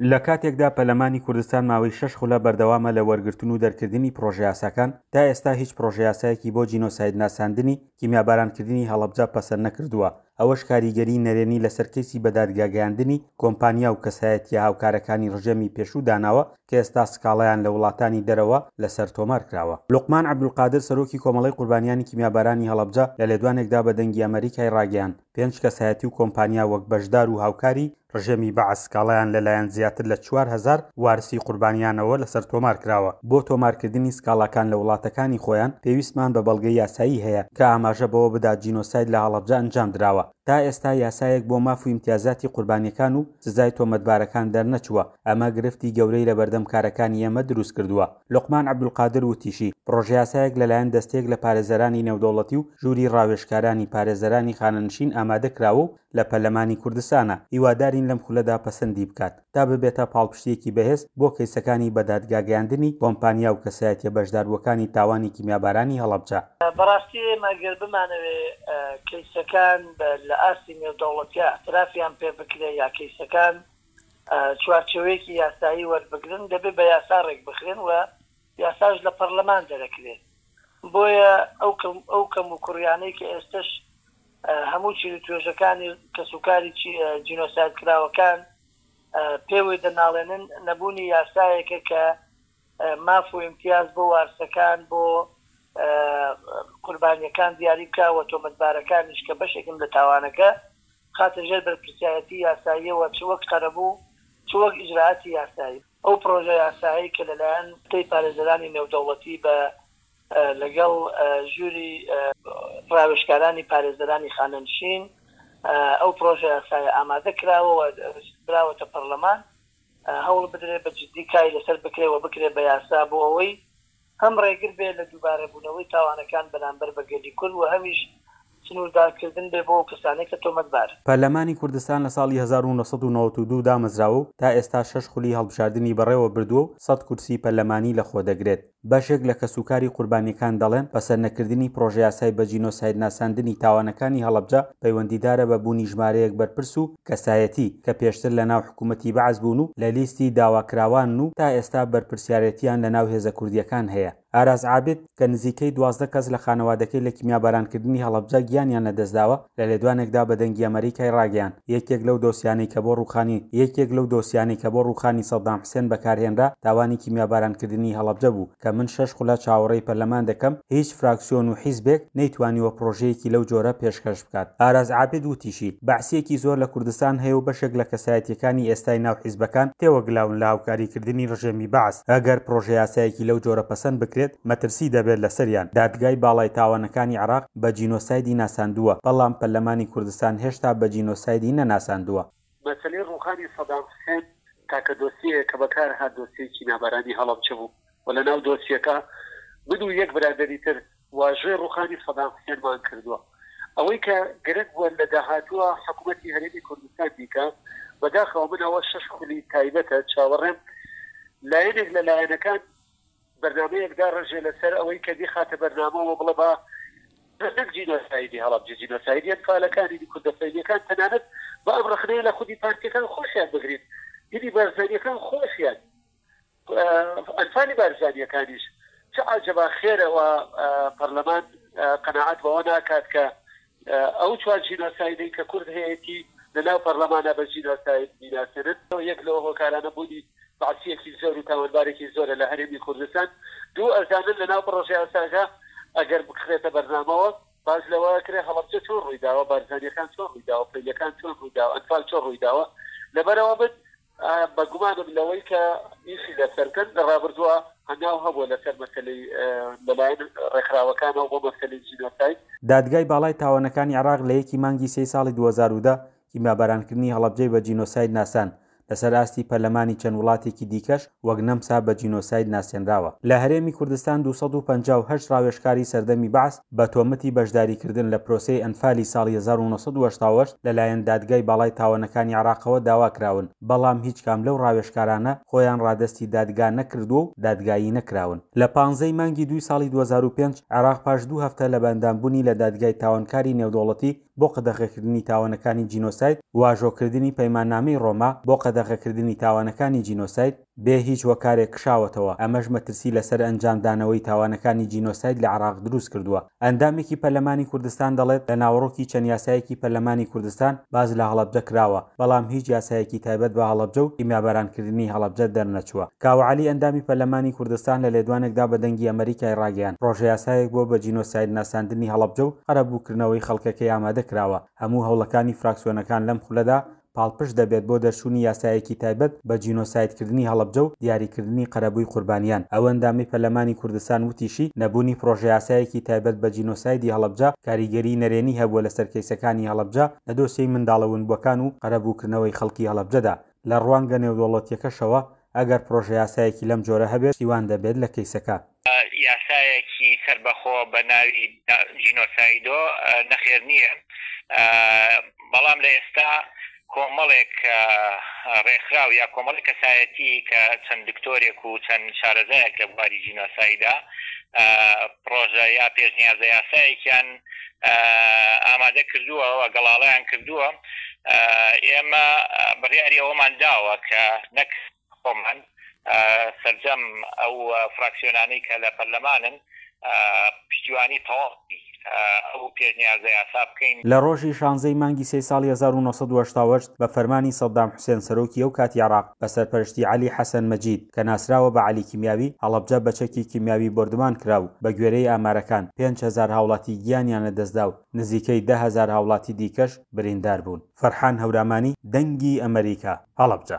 لە کاتێکدا پەرلەمانی کوردستان ماوەی شەش خولە بەردەوامە لە وەرگرتن و دەرکردنی پڕۆژەیاساکان، تا ئێستا هیچ پڕۆژەیاسایەکی بۆ جینۆسایدناساندنی کیمیابارانکردنی هەڵەبجە پەسەند نەکردووە، ئەوەش کاریگەریی نەرێنی لەسەر کەیسی بەدادگاگەیاندنی کۆمپانیا و کەسایەتییە هاوکارەکانی ڕژێمی پێشوو داناوە کە ئێستا سکاڵایان لە وڵاتانی دەرەوە لەسەر تۆمار کراوە. لوقمان عەبدولقادر سەرۆکی کۆمەڵەی قوربانیانی کیمیابارانی هەڵەبجە لە لێدوانێکدا بە دەنگی ئەمەریکای ڕاگەیاند، پێنج کەسایەتی و کۆمپانیا وەک بەشدار و هاوکاری ڕژێمی بەعس سکاڵایان لەلایەن زیاتر لە 4000 وارسی قوربانیانەوە لەسەر تۆمار کراوە. بۆ تۆمارکردنی سکاڵاکان لە وڵاتەکانی خۆیان پێویستمان بە بەڵگەی یاسایی هەیە کە ئاماژە بەوە بدات جینۆساید لە هەڵەبجە ئەنجام دراوە. تا ئێستا یاسایەک بۆ ماف و ئیمتیازاتی قوربانیەکان و سزای تۆمەتبارەکان دەرنەچووە، ئەمە گرفتی گەورەی لەبەردەم کارەکانی ئێمە دروست کردووە. لوقمان عەبدولقادر وتیشی، پڕۆژەیاسایەک لەلایەن دەستەیەک لە پارێزەرانی نێودەوڵەتی و ژووری ڕاوێژکارانی پارێزەرانی خانەنشین ئامادە کراوە و لە پەرلەمانی کوردستانە، هیوادارین لەم خولەدا پەسەندی بکات تا ببێتە پاڵپشتییەکی بەهێز بۆ کەیسەکانی بەدادگاگەیاندنی کۆمپانیا و کەسایەتیە بەشداربووەکانی تاوانی کیمیابارانی هەڵەبجە. بەڕاستی ئێمە گەر بمانەوێ کەیسەکان لە ئاستی نێودەوڵەتیا ئیعترافیان پێ بکرێ یا کەیسەکان چوارچێوەیەکی یاسایی وەربگرن دەبێ بە یاسا ڕێکبخرێن و یاساش لە پەڕلەمان دەرەکرێ بۆیە ئەو ئەو کەم و کوڕیانەی کە ئێستش هەموو چین و توێژەکانی کەسوکاری جینۆساید کراوەکان پێوەی دەناڵێنن نەبوونی یاسایەکە کە ماف و ئیمتیاز بۆ وارسەکان بۆ قوربانیەکان دیاری بکا و تۆمەتبارەکانیش کە بەشێکن لە تاوانەکە بخاتە ژێر بەرپرسیارەتی یاساییەوە چ وەک قەرەبوو چ وەک ئیجرائاتی یاسایی. ئەو پڕۆژە یاسایەی کە لەلایەن دەستەی پارێزەرانی نێودەوڵەتی بە لەگەڵ ژووری ڕاوێژکارانی پارێزەرانی خانەنشین ئەو پڕۆژە یاسایە ئامادە کراوە و براوەتە پەڕلەمان هەوڵ بدرێت بە جدی کاری لەسەر بکرێت و بکرێت بە یاسا بۆ ئەوەی هەم ڕێگر بێت لە دووبارەبوونەوەی تاوانەکان بەرامبەر بە گەلی کورد و هەمیش سنووردارکردن بێ بۆ ئەو کەسانەی کە تۆمەتبارن. پەرلەمانی کوردستان لە ساڵی 1992 دامەزراوە و تا ئێستا شەش خولی هەڵبژاردنی بەڕێوە بردووە و سەد کورسی پەرلەمانی لەخۆدەگرێت. بەشێک لە کەسوکاری قوربانییەکان دەڵێن، پەسەندنەکردنی پڕۆژەیاسای بە جینۆسایدناساندنی تاوانەکانی هەڵەبجە پەیوەندیدارە بە بوونی ژمارەیەک بەرپرس و کەسایەتی کە پێشتر لەناو حکوومەتی بەعس بوون و لە لیستی داواکراوانن و تا ئێستا بەرپرسیارێتییان لەناو هێزە کوردییەکان هەیە. ئاراس عابد، کە نزیکەی 12 کەس لە خانەوادەکەی لە کیمیابارانکردنی هەڵەبجە گیانیان لەدەستداوە، لە لێدوانێکدا بە دەنگی ئەمەریکای ڕاگەیاند، یەکێک لەو دۆسیانەی کە بۆ ڕووخانی یەکێک لەو دۆسیانەی کە بۆ ڕووخانی سەدام حسێن بەکارهێنرا، تاوانی کیمیابارانکردنی هەڵەبجە بوو، کە من شەش خولە چاوەڕێی پەرلەمان دەکەم، هیچ فراکسیۆن و حیزبێک نەیتوانیوە پڕۆژەیەکی لەو جۆرە پێشکەش بکات. ئاراس عابد وتیشی، بەعسییەکی زۆر لە کوردستان هەیە و بەشێک لە کەسایەتییەکانی ئێستای ناو حیزبەکان تێوەگلاون لە هاوکاریکردنی ڕژێمی بەعس، ئەگەر پڕۆژەیاسایەکی لەو جۆرە پەسەند بکرێت، مەترسی دەبێت لەسەریان. دادگای باڵای تاوانەکانی عێراق بە جینۆسایدی ناساندووە، بەڵام پەرلەمانی کوردستان هێشتا بە جینۆسایدی نەناساندووە. مەسەلەی ڕووخانی سەدام حوسێن تاکە دۆسیەیە کە بەکار هات دۆسیەی کیمیابارانی هەڵەبجە بوو و لە ناو دۆسیەکە من و یەک برادەری تر واژۆی ڕووخانی سەدام حوسێنمان کردووە. ئەوەی کە گرنگ بووە لە داهاتووە حکوومەتی هەرێمی کوردستان بیکا، بەداخەوە من ئەوە شەش خولی تایبەتە چاوەڕێم لایەنێک لە لایەنەکان بەرنامەیەک داڕێژێ لەسەر ئەوەی کە بیخاتە بەرنامەوە بڵێ با نەک جینۆسایدی هەڵەبجە، جینۆسایدی ئەنفالەکانی دی کوردە فەیلیەکان، تەنانەت با ئەم ڕەخنەیە لە خودی پارتیەکان خۆشیان بگرین، هینی بارزانیەکان خۆشیان، ئەنفالی بارزانیەکانیش چ عەجەبا خێرە وا پەرلەمان قەناعەت بەوە ناکات کە ئەو چوار جینۆسایدەی کە کورد هەیەتی لە ناو پەرلەمانا بە جینۆساید بیناسێنن. یەک لەو هۆکارانە بوونی بەعسییەکی زۆر و تاوانبارێکی زۆرە لە هەرێمی کوردستان. دوو، ئەزانن لە ناو پڕۆژەیاساکە ئەگەر بخرێتە بەرنامەوە باس لەوە ئەکرێ هەڵەبجە چۆن ڕوویداوە، بارزانییەکان چۆن ڕوویداوە، فەیلییەکان چۆن ڕوویداوە، ئەنفال چۆن ڕوویداوە. لەبەرئەوە من بە گومانم لەوەی کە ئیشی لەسەر بکەن، لە ڕابردووە هەنگاو هەبووە لەسەر مەسەلەی لەلایەن ڕێکخراوەکانەوە بۆ مەسەلەی جینۆساید. دادگای باڵای تاوانەکانی عێراق لە یەکی مانگی سێی ساڵی 2010 کیمیابارانکردنی هەڵەبجەی بە جینۆساید ناساند، لەسەر ئاستی پەرلەمانی چەند وڵاتێکی دیکەش وەک نەمسا بە جینۆساید ناسێنراوە. لە هەرێمی کوردستان 258 ڕاوێژکاری سەردەمی بەعس بە تۆمەتی بەشداریکردن لە پرۆسەی ئەنفالی ساڵی 1988 لەلایەن دادگای باڵای تاوانەکانی عێراقەوە داواکراون، بەڵام هیچ کام لەو ڕاوێژکارانە خۆیان ڕادەستی دادگا نەکردووە و دادگایی نەکراون. لە پانزەی مانگی دووی ساڵی 2005 عێراق پاش دوو هەفتە لە بەئەندامبوونی لە دادگای تاوانکاری نێودەوڵەتی بۆ قەدەغەکردنی تاوانەکانی جینۆساید، واژۆکردنی پەیماننامەی ڕۆما بۆ قەدەغە. قەدەغەکردنی تاوانەکانی جینۆساید، بێ هیچ هۆکارێک کشاوەتەوە، ئەمەش مەترسی لەسەر ئەنجامدانەوەی تاوانەکانی جینۆساید لە عێراق دروستکردووە. ئەندامێکی پەرلەمانی کوردستان دەڵێت، لە ناوەڕۆکی چەند یاسایەکی پەرلەمانی کوردستان باس لە هەڵەبجە کراوە، بەڵام هیچ یاسایەکی تایبەت بە هەڵەبجە و کیمیابارانکردنی هەڵەبجە دەرنەچووە. کاوە عەلی ئەندامی پەرلەمانی کوردستان لە لێدوانێکدا بە دەنگی ئەمەریکای ڕاگەیاند، پڕۆژەیاسایەک بۆ بە جینۆساید ناساندنی هەڵەبجە و قەرەبووکردنەوەی خەڵکەکەی ئامادە کراوە، هەموو هەوڵەکانی فراکسیۆنەکان لەم خولەدا پاڵپشت دەبێت بۆ دەرچوونی یاسایەکی تایبەت بە جینۆسایدکردنی هەڵەبجە و دیاریکردنی قەرەبووی قوربانیان. ئەو ئەندامەی پەرلەمانی کوردستان وتیشی، نەبوونی پڕۆژەیاسایەکی تایبەت بە جینۆسایدی هەڵەبجە کاریگەریی نەرێنی هەبووە لەسەر کەیسەکانی هەڵەبجە لە دۆسیەی منداڵە ونبووەکان و قەرەبووکردنەوەی خەڵکی هەڵەبجەدا. لە ڕوانگە نێودەوڵەتییەکەشەوە ئەگەر پڕۆژەیاسایەکی لەم جۆرە هەبێت پشتیوان دەبێت لە کەیسەکە. یاسایەکی سەربەخۆ بە ناوی جینۆسایدۆ نەخێر نییە، بەڵام لە ئێستا کۆمەڵێک ڕێکخراو یا کۆمەڵێک کەسایەتی کە چەند دکتۆرێک و چەند شارەزایەک لە بواری جینۆسایدا پڕۆژە یا پێشنیازە یاسایەکیان ئامادە کردووە و گەڵاڵەیان کردووە، ئێمە بڕیاری ئەوەمان داوە کە نەک خۆمان سەرجەم ئەو فراکسیۆنانەی کە لە پەرلەمانن پشتیوانی تەواوی ئەو پێشنیازە یاسا بکەین. لە ڕۆژی شانزەی مانگی سێی ساڵی 1988 بە فەرمانی سەدام حوسێن سەرۆکی ئەو کاتی عێراق بە سەرپەرشتی عەلی حەسەن مەجید کە ناسراوە بە عەلی کیمیاوی، هەڵەبجە بە چەکی کیمیاوی بۆردومان کرا و بە گوێرەی ئامارەکان 5000 هاوڵاتی گیانیان لەدەستدا و نزیکەی 10,000 هاوڵاتی دیکەش بریندار بوون. فەرحان هەورامانی، دەنگی ئەمەریکا، هەڵەبجە.